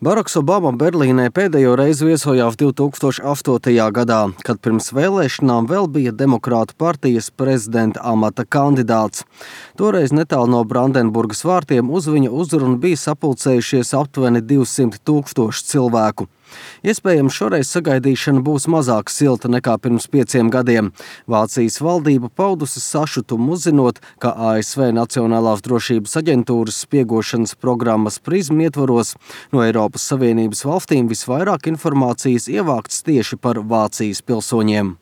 Baraks Obama Berlīnē pēdējo reizi viesojās 2008. gadā, kad pirms vēlēšanām vēl bija Demokrātu partijas prezidenta amata kandidāts. Toreiz netālu no Brandenburgas vārtiem uz viņa uzrunu bija sapulcējušies aptuveni 200,000 cilvēku. Iespējams, šoreiz sagaidīšana būs mazāk silta nekā pirms 5 gadiem. Vācijas valdība paudusi sašutumu uzzinot, ka ASV Nacionālās drošības aģentūras spiegošanas programmas PRISM ietvaros no Eiropas Savienības valstīm visvairāk informācijas ievākts tieši par Vācijas pilsoņiem.